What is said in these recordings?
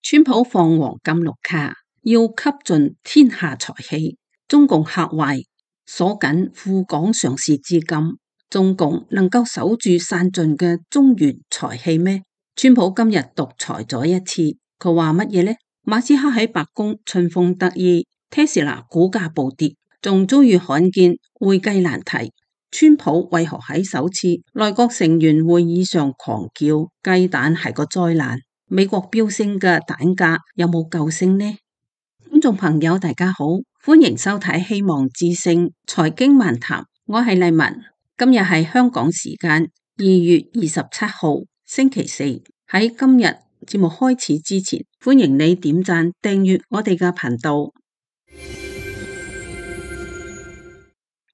川普放黃金綠卡，要吸盡天下財氣。中共嚇壞，鎖緊赴港上市資金。中共能夠守住散盡嘅中原財氣咩？川普今日獨裁咗一次，佢話乜嘢呢？馬斯克喺白宮春風得意，Tesla 股價暴跌，仲遭遇罕見會計難題。川普為何喺首次內閣成員會議上狂叫雞蛋係個災難？美國飆升嘅蛋價有冇救星呢？觀眾朋友大家好，歡迎收睇希望之聲財經漫談，我係麗文。今日係香港時間2月27號星期四。喺今日節目開始之前，歡迎你點讚訂閱我哋嘅頻道。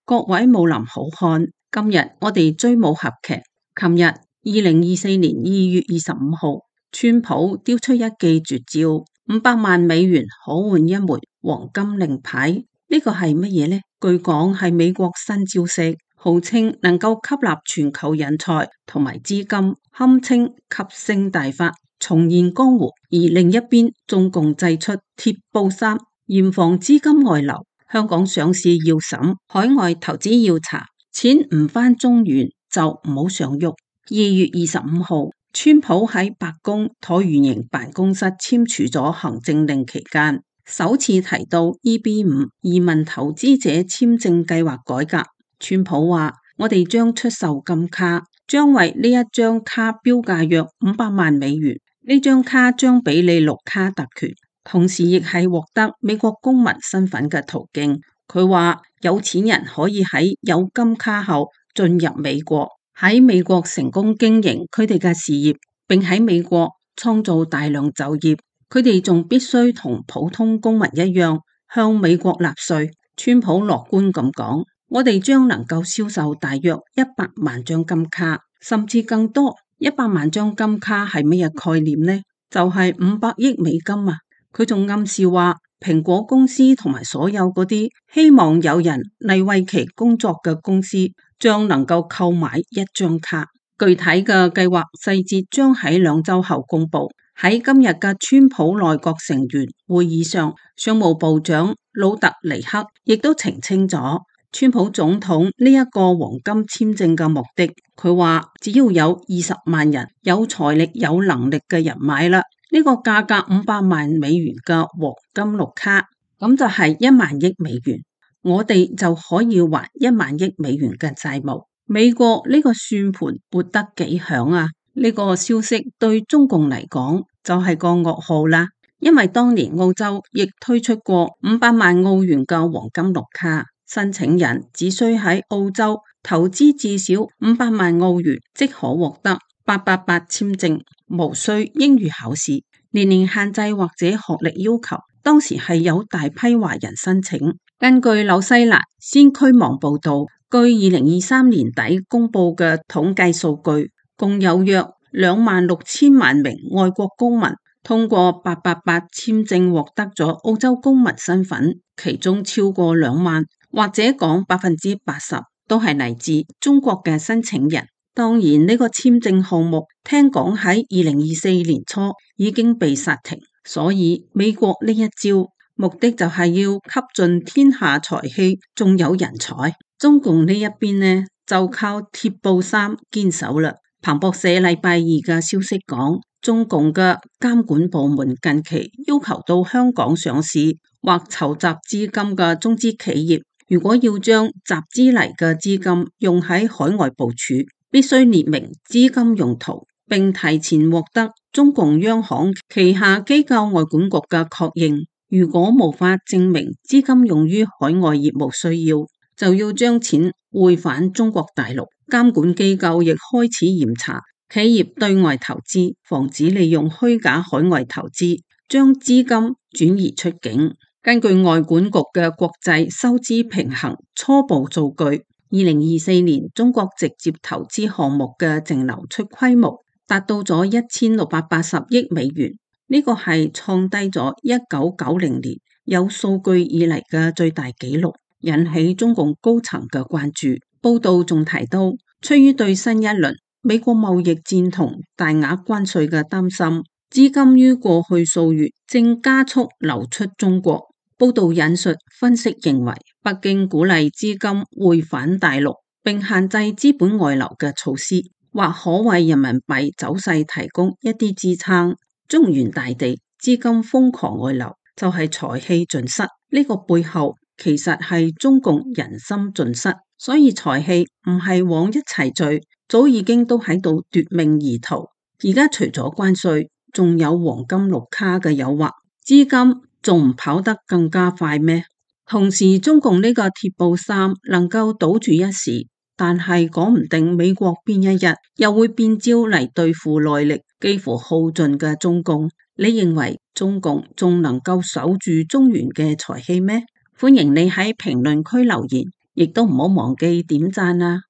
各位武林好漢，今日我哋追武俠劇。琴日2024年2月25號，川普丟出一記絕招，500萬美元可換一枚黃金令牌。呢個係乜嘢呢？據講係美國新招式，號稱能夠吸納全球人才同埋資金，堪稱吸星大法，重現江湖。而另一邊，中共祭出鐵布衫，嚴防資金外流。香港上市要審，海外投資要查，錢唔返中原就唔好上喐。2月25號，川普喺白宮橢圓形辦公室簽署咗行政令期間，首次提到 EB5 移民投資者簽證計劃改革。川普話：我哋將出售金卡，將為呢一張卡標價約500萬美元。呢張卡將俾你綠卡特權，同時亦係獲得美國公民身份嘅途徑。佢話有錢人可以喺有金卡後進入美國，喺美國成功經營佢哋嘅事業，並喺美國創造大量就業。佢哋仲必須同普通公民一樣向美國納稅。川普樂觀咁講：我哋將能夠銷售大約100萬張金卡，甚至更多。100萬張金卡係乜嘢概念呢？就係500億美金啊！佢仲暗示話，蘋果公司同埋所有嗰啲希望有人嚟為其工作嘅公司，將能夠購買一張卡。具體嘅計劃細節將喺2週後公布。喺今日嘅川普內閣成員會議上，商務部長魯特尼克亦都澄清咗川普總統呢一個黃金簽證嘅目的。佢話只要有20萬人有財力有能力嘅人買啦，呢個價格500萬美元嘅黃金綠卡，咁就係1萬億美元，我哋就可以還1萬億美元嘅債務。美國呢個算盤撥得幾響啊！呢個消息對中共嚟講就係個噩耗啦，因為當年澳洲亦推出過500萬澳元嘅黃金綠卡，申請人只需喺澳洲投資至少500萬澳元，即可獲得888簽證，無需英語考試，年齡限制或者學歷要求。當時係有大批華人申請。根據紐西蘭先驅網報道，據2023年底公布嘅統計數據，共有約26000萬名外國公民通過888簽證獲得咗澳洲公民身份，其中超過2萬，或者講80%都係嚟自中國嘅申請人。當然呢個簽證項目聽講喺2024年初已經被煞停，所以美國呢一招目的就係要吸盡天下財氣，仲有人才。中共呢一邊呢就靠鐵布衫堅守啦。彭博社禮拜2嘅消息講，中共嘅監管部門近期要求到香港上市或籌集資金嘅中資企業，如果要將集資嚟嘅資金用喺海外部署，必須列明資金用途，並提前獲得中共央行旗下機構外管局嘅確認。如果無法證明資金用於海外業務需要，就要將錢匯返中國大陸。監管機構亦開始嚴查企業對外投資，防止利用虛假海外投資將資金轉移出境。根據外管局嘅國際收支平衡初步數據，2024年中國直接投資項目嘅淨流出規模達到咗1680億美元，呢個係創低咗1990年有數據以嚟嘅最大紀錄，引起中共高層嘅關注。報道仲提到，出於對新一輪美國貿易戰同大額關稅嘅擔心，資金於過去數月正加速流出中國。報道引述分析認為，北京鼓勵資金匯返大陸，並限制資本外流嘅措施，或可為人民幣走勢提供一啲支撐。中原大地資金瘋狂外流，就係財氣盡失。呢個背後其實係中共人心盡失，所以財氣唔係往一齊聚，早已經都喺度奪命而逃。而家除咗關稅，仲有黃金綠卡嘅誘惑，資金仲唔跑得更加快咩？同時中共呢個鐵布衫能夠堵住一時，但係講唔定美國邊一日又會變招嚟對付內力幾乎耗盡嘅中共。你認為中共仲能夠守住中原嘅財氣咩？歡迎你喺評論區留言，亦都唔好忘記點讚啊！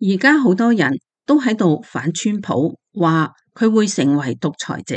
而家好多人都喺度反川普，話佢會成為獨裁者。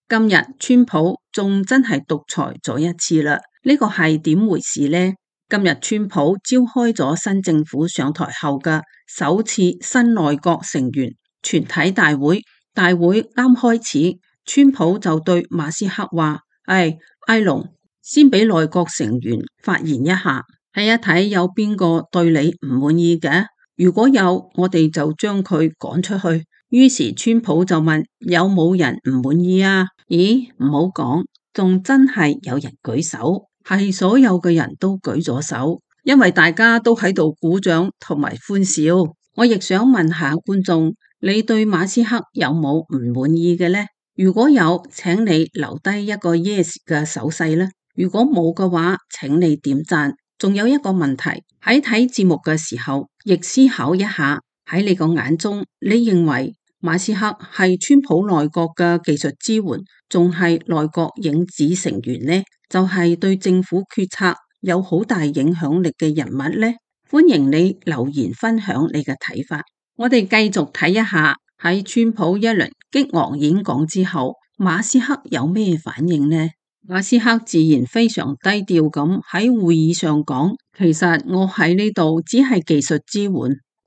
今日川普仲真係獨裁咗一次啦，呢個係點回事呢？今日川普召開咗新政府上台後嘅首次新內閣成員全體大會，大會啱開始，川普就對馬斯克話：埃隆，先俾內閣成員發言一下，睇一睇有邊個對你唔滿意嘅。如果有，我哋就將佢趕出去。於是川普就問：有冇人唔滿意啊？咦，唔好講，仲真係有人舉手，係所有嘅人都舉咗手，因為大家都喺度鼓掌同埋歡笑。我亦想問下觀眾，你對馬斯克有冇唔滿意嘅呢？如果有，請你留低一個 yes 嘅手勢啦。如果冇嘅話，請你點讚。仲有一個問題，喺睇節目嘅時候，亦思考一下，喺你個眼中，你認為馬斯克係川普內閣嘅技術支援，仲係內閣影子成員呢？就係對政府決策有好大影響力嘅人物呢？歡迎你留言分享你嘅睇法。我哋繼續睇一下喺川普一輪激昂演講之後，馬斯克有咩反應呢？馬斯克自然非常低調咁喺會議上講，其實我喺呢度只係技術支援，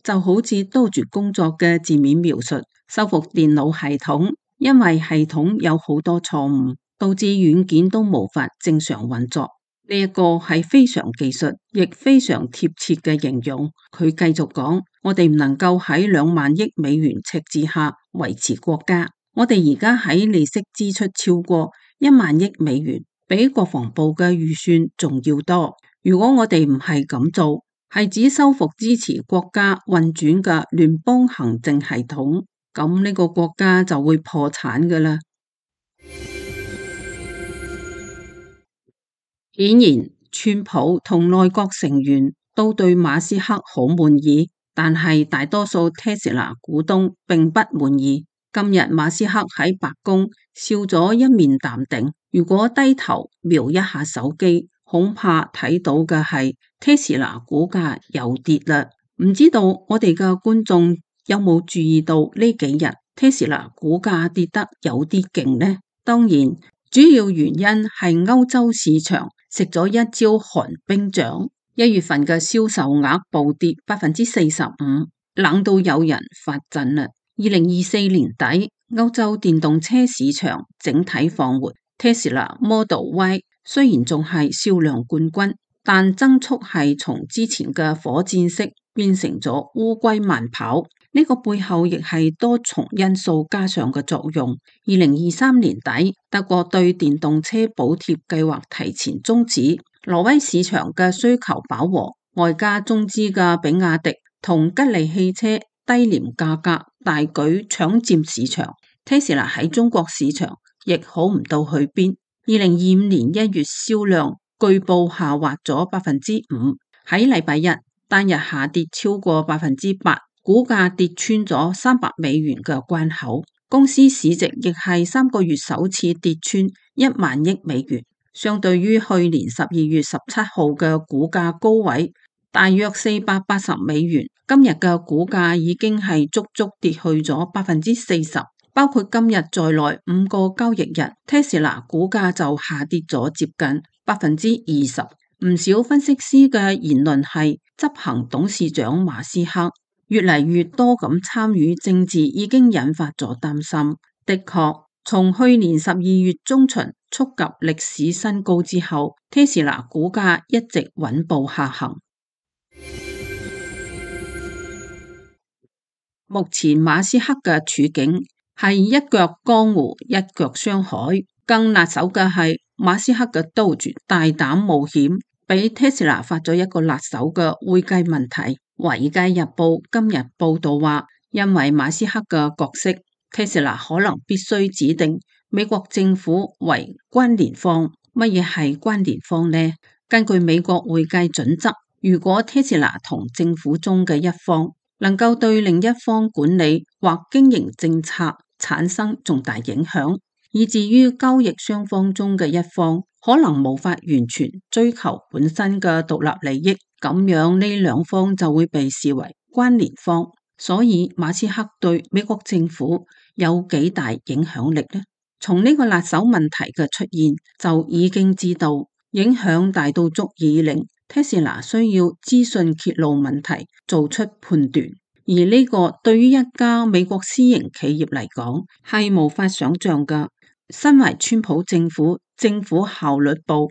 就好似多住工作嘅字面描述，修復電腦系統，因為系統有好多錯誤，導致軟件都無法正常運作。呢一個係非常技術，亦非常貼切嘅形容。佢繼續講，我哋唔能夠喺2萬億美元赤字下維持國家，我哋而家喺利息支出超過1萬億美元，比國防部嘅預算仲要多。如果我哋唔係咁做，係指修復支持國家運轉嘅聯邦行政系統，咁呢個國家就會破產噶啦。顯然，川普同內閣成員都對馬斯克好滿意，但係大多數 Tesla 股東並不滿意。今日馬斯克喺白宮笑咗一面淡定，如果低頭瞄一下手機，恐怕睇到嘅係 Tesla 股價又跌啦。唔知道我哋嘅觀眾有冇注意到呢幾日 Tesla 股價跌得有啲勁呢？當然，主要原因係歐洲市場食咗一招寒冰掌，1月份嘅銷售額暴跌45%，冷到有人發震啦。2024年底，歐洲電動車市場整體放緩，Tesla Model Y 雖然仲係銷量冠軍，但增速係從之前嘅火箭式變成咗烏龜慢跑。呢個背後亦係多重因素加上嘅作用。2023年底，德國對電動車補貼計劃提前終止，挪威市場嘅需求飽和，外加中資嘅比亞迪同吉利汽車低廉價格大舉搶佔市場。Tesla 喺中國市場亦好唔到去邊。2025年1月銷量據報下滑咗5%，喺禮拜一單日下跌超過8%，股價跌穿咗300美元嘅關口。公司市值亦係3個月首次跌穿1萬億美元，相對於去年12月17號嘅股價高位大約480美元，今日嘅股價已經係足足跌去咗40%，包括今日在內5個交易日，Tesla 股價就下跌咗接近20%。唔少分析師嘅言論係，執行董事長馬斯克越嚟越多咁參與政治已經引發咗擔心。的確，從去年12月中旬觸及歷史新高之後，Tesla 股價一直穩步下行。目前馬斯克嘅處境係一腳江湖，一腳商海。更辣手嘅係馬斯克嘅 Doge 大膽冒險，俾 Tesla 發咗一個辣手嘅會計問題。華爾街日報今日報道話，因為馬斯克嘅角色， Tesla 可能必須指定美國政府為關聯方。乜嘢係關聯方呢？根據美國會計準則，如果 Tesla 同政府中嘅一方能夠對另一方管理或經營政策產生重大影響，以至於交易雙方中嘅一方可能無法完全追求本身嘅獨立利益，咁樣呢兩方就會被視為關聯方。所以馬斯克對美國政府有幾大影響力呢？從呢個辣手問題嘅出現就已經知道，影響大到足以令 Tesla 需要資訊揭露問題做出判斷，而呢個對於一家美國私營企業嚟講係無法想象㗎。身為川普政府效率部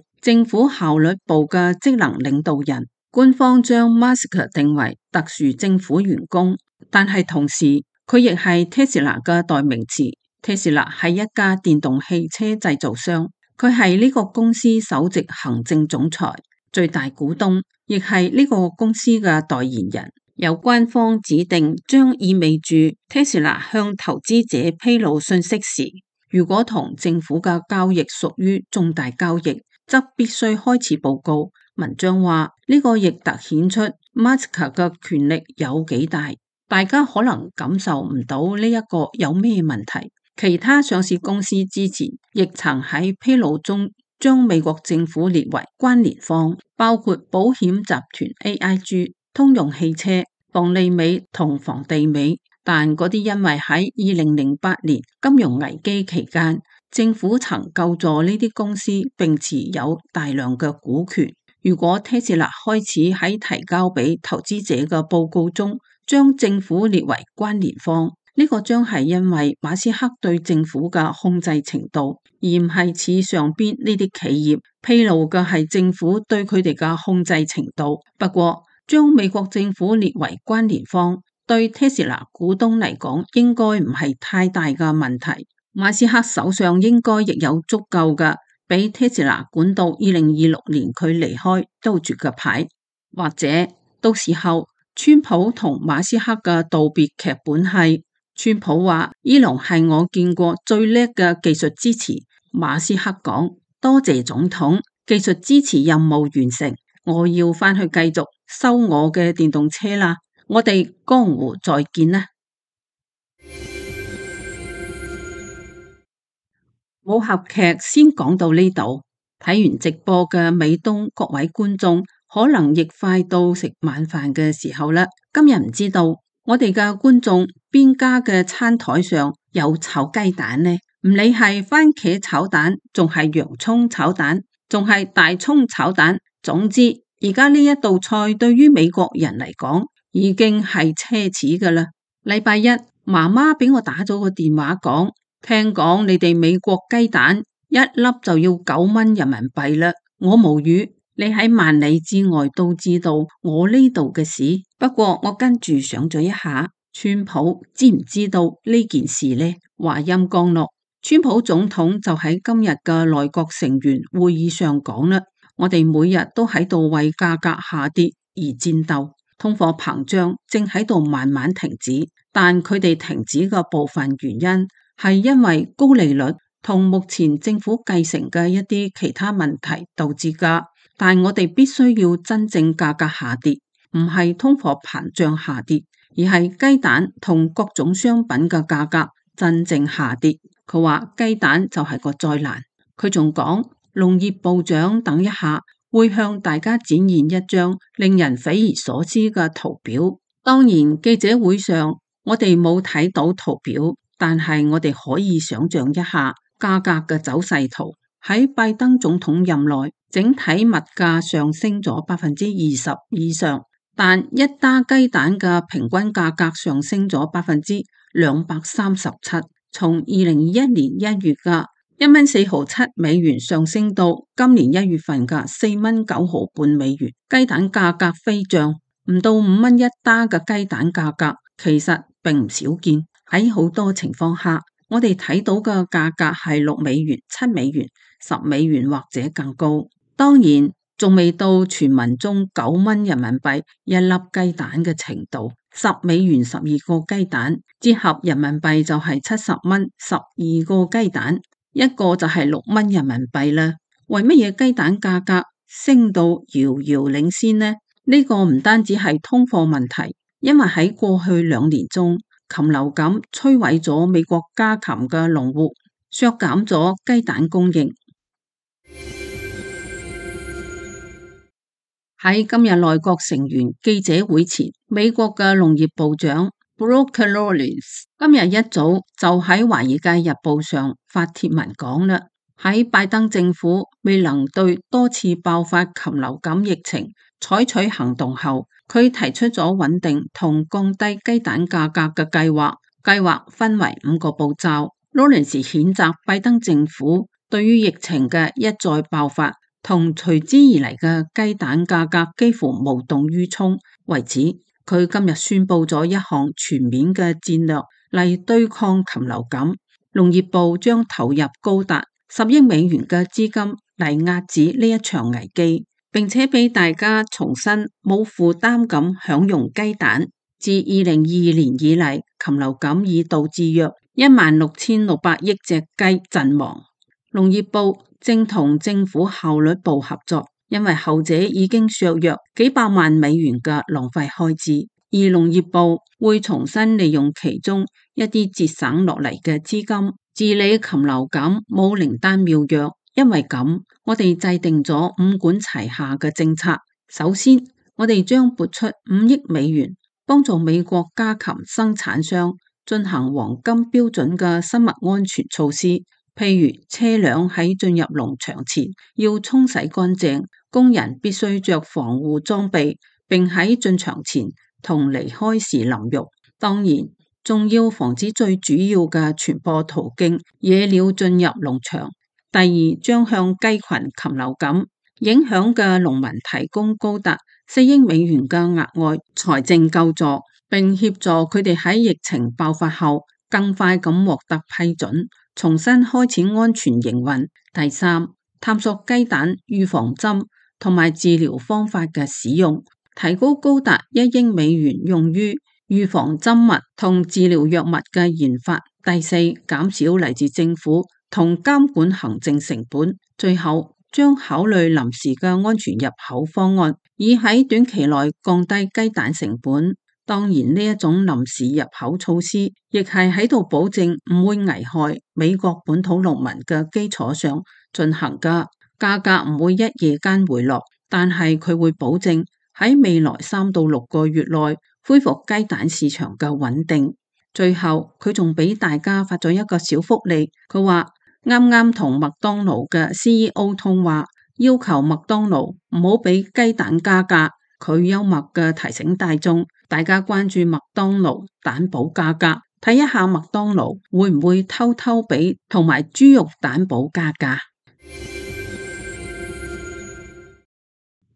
嘅職能領導人，官方將 Musk 定為特殊政府員工，但係同時佢亦係 Tesla 嘅代名詞。Tesla 係一家電動汽車製造商，佢係呢個公司首席行政總裁、最大股東，亦係呢個公司嘅代言人。由官方指定將意味住 Tesla 向投資者披露信息時，如果同政府嘅交易屬於重大交易，則必須開始報告。文章話呢個亦突顯出 Musk 嘅權力有幾大，大家可能感受唔到呢一個有咩問題。其他上市公司之前亦曾喺披露中將美國政府列為關聯方，包括保險集團 AIG、通用汽車、房利美同房地美。但嗰啲因為喺2008年金融危機期間，政府曾救助呢啲公司並持有大量嘅股權。如果 Tesla 開始喺提交俾投資者嘅報告中將政府列為關聯方，呢個將係因為馬斯克對政府嘅控制程度，而唔係似上邊呢啲企業披露嘅係政府對佢哋嘅控制程度。不過將美國政府列為關聯方，對 Tesla 股東嚟講應該唔係太大嘅問題。馬斯克手上應該亦有足夠嘅俾 Tesla 管到2026年佢離開都住嘅牌，或者到時候川普同馬斯克嘅道別劇本係川普話伊隆係我見過最叻嘅技術支持，馬斯克講多謝總統，技術支持任務完成，我要返去繼續修我嘅電動車啦。我哋江湖再見啦！武俠劇先講到呢度，睇完直播嘅美東各位觀眾，可能亦快到食晚飯嘅時候啦。今日唔知道我哋嘅觀眾邊家嘅餐台上有炒雞蛋呢？唔理係番茄炒蛋，仲係洋蔥炒蛋，仲係大蔥炒蛋，總之而家呢一道菜對於美國人嚟講，已經係奢侈噶啦。禮拜一，媽媽俾我打咗個電話講，聽講你哋美國雞蛋一粒就要9蚊人民幣啦。我無語，你喺萬里之外都知道我呢度嘅事。不過我跟住想咗一下，川普知唔知道呢件事呢？話音剛落，川普總統就喺今日嘅內閣成員會議上講啦，我哋每日都喺度為價格下跌而戰鬥。通貨膨脹正喺度慢慢停止，但佢哋停止嘅部分原因係因為高利率同目前政府繼承嘅一啲其他問題導致㗎。但我哋必須要真正價格下跌，唔係通貨膨脹下跌，而係雞蛋同各種商品嘅價格真正下跌。佢話雞蛋就係個災難。佢仲講，農業部長等一下會向大家展現一張令人匪夷所思嘅圖表。當然記者會上我哋冇睇到圖表，但係我哋可以想象一下價格嘅走勢圖。喺拜登總統任內，整體物價上升咗20%以上，但一打雞蛋嘅平均價格上升咗237%，從2021年1月嘅1.457美元上升到今年1月份嘅4.958美元。雞蛋價格飛漲，唔到5蚊一打嘅雞蛋價格其實並唔少見。喺好多情況下，我哋睇到嘅價格係6美元、7美元、10美元或者更高。當然仲未到傳聞中9蚊人民幣一粒雞蛋嘅程度。10美元12個雞蛋，折合人民幣就係70蚊12個雞蛋，一個就係6蚊人民幣啦。為乜嘢雞蛋價格升到遙遙領先呢？呢個唔單止係通貨問題，因為喺過去2年中，禽流感摧毀咗美國家禽嘅農戶，削減咗雞蛋供應。喺今日內閣成員記者會前，美國嘅農業部長 Brooke Lawrence 今日一早就喺《華爾街日報》上發帖文講啦，喺拜登政府未能對多次爆發禽流感疫情採取行動後，佢提出咗穩定同降低雞蛋價格嘅計劃。計劃分為5個步驟。Lawrence 譴責拜登政府對於疫情嘅一再爆發同隨之而嚟嘅雞蛋價格幾乎無動於衷。為此，佢今日宣布咗一項全面嘅戰略嚟對抗禽流感。農業部將投入高達10億美元嘅資金嚟遏止呢一場危機，並且俾大家重新冇負擔咁享用雞蛋。自2022年以嚟，禽流感已導致約16,600億隻雞陣亡。農業部正同政府效率部合作，因為後者已經削弱幾百萬美元嘅浪費開支，而農業部會重新利用其中一啲節省落嚟嘅資金治理禽流感，冇靈丹妙藥。因為咁，我哋制定咗5管齊下嘅政策。首先，我哋將撥出5億美元，幫助美國家禽生產商進行黃金標準嘅生物安全措施，譬如車輛喺進入農場前要沖洗乾淨，工人必須着防護裝備，並喺進場前同離開時淋浴。當然，仲要防止最主要嘅傳播途徑野鳥進入農場。第二，將向雞群禽流感影響嘅農民提供高達4億美元嘅額外財政救助，並協助佢哋喺疫情爆發後更快咁獲得批准，重新開始安全營運。第三，探索雞蛋預防針同埋治療方法嘅使用，提高高達1億美元用於預防針物同治療藥物嘅研發。第四，減少嚟自政府同監管行政成本。最後，將考慮臨時嘅安全入口方案，以喺短期內降低雞蛋成本。當然，呢一種臨時入口措施，亦係喺度保證唔會危害美國本土農民嘅基礎上進行㗎。價格唔會一夜間回落，但係佢會保證喺未來3到6個月內恢復雞蛋市場嘅穩定。最後，佢仲俾大家發咗一個小福利，佢話啱啱同麥當勞嘅 CEO 通話，要求麥當勞唔好俾雞蛋加價。佢幽默嘅提醒大眾，大家關注麥當勞蛋堡加價，睇一下麥當勞會唔會偷偷俾同埋豬肉蛋堡加價。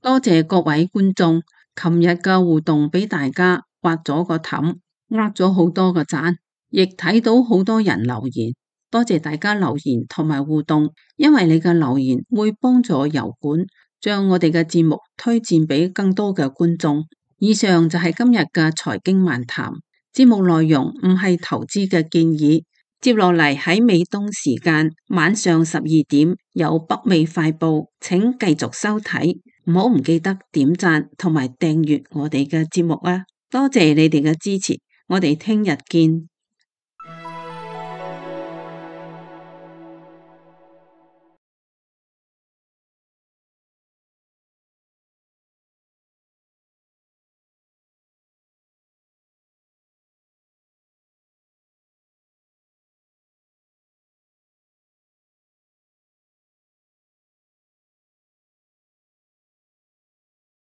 多謝各位觀眾，琴日嘅互動俾大家挖咗個氹，呃咗好多個讚，亦睇到好多人留言。多謝大家留言同埋互動，因為你嘅留言會幫助油管將我哋嘅節目推薦俾更多嘅觀眾。以上就係今日嘅財經漫談，節目內容唔係投資嘅建議。接落嚟喺美東時間晚上12點有北美快報，請繼續收睇，唔記得點讚同埋訂閱我哋嘅節目啊！多謝你哋嘅支持，我哋聽日見。